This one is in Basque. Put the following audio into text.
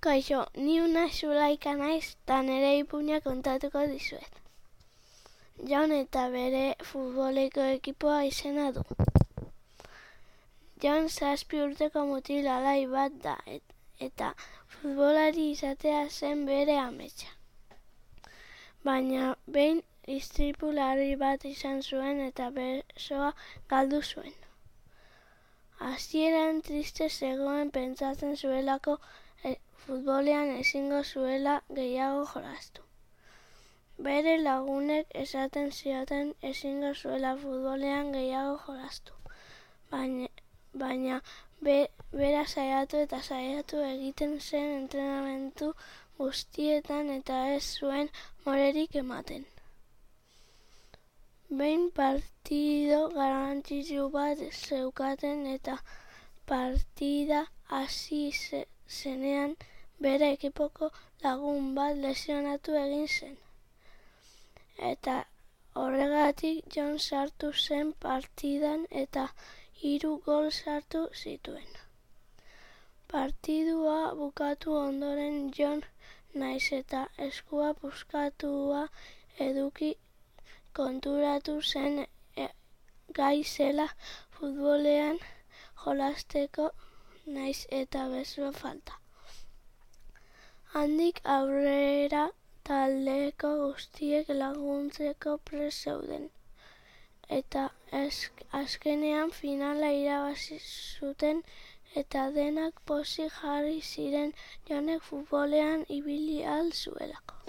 Kaixo, ni una Zulaika naiz eta nire ipuina kontatuko dizuet. Jon eta bere futboleko ekipoa izena du. Jon 7 urteko mutil alai bat da eta futbolari izatea zen bere ametsa. Baina behin istripu larri bat izan zuen eta besoa galdu zuen. Hasieran triste zegoen pentsatzen zuelako futbolean ezingo zuela gehiago jolastu. Bere lagunek esaten zioten ezingo zuela futbolean gehiago jolastu. Baina bera saiatu egiten zen entrenamendu guztietan eta ez zuen morerik ematen. Behin partido garrantzitsu bat zeukaten eta partida hasi zenean bere ekipoko lagun bat lesionatu egin zen. Eta horregatik Jon sartu zen partidan eta 3 gol sartu zituen. Partidua bukatu ondoren Jon nahiz eta eskua puskatua eduki konturatu zen gai zela futbolean jolasteko nahiz eta besoa falta. Handik aurrera taldeko guztiek laguntzeko prest zeuden. Eta azkenean finala irabazi zuten eta denak pozik jarri ziren Jonek futbolean ibili ahal zuelako.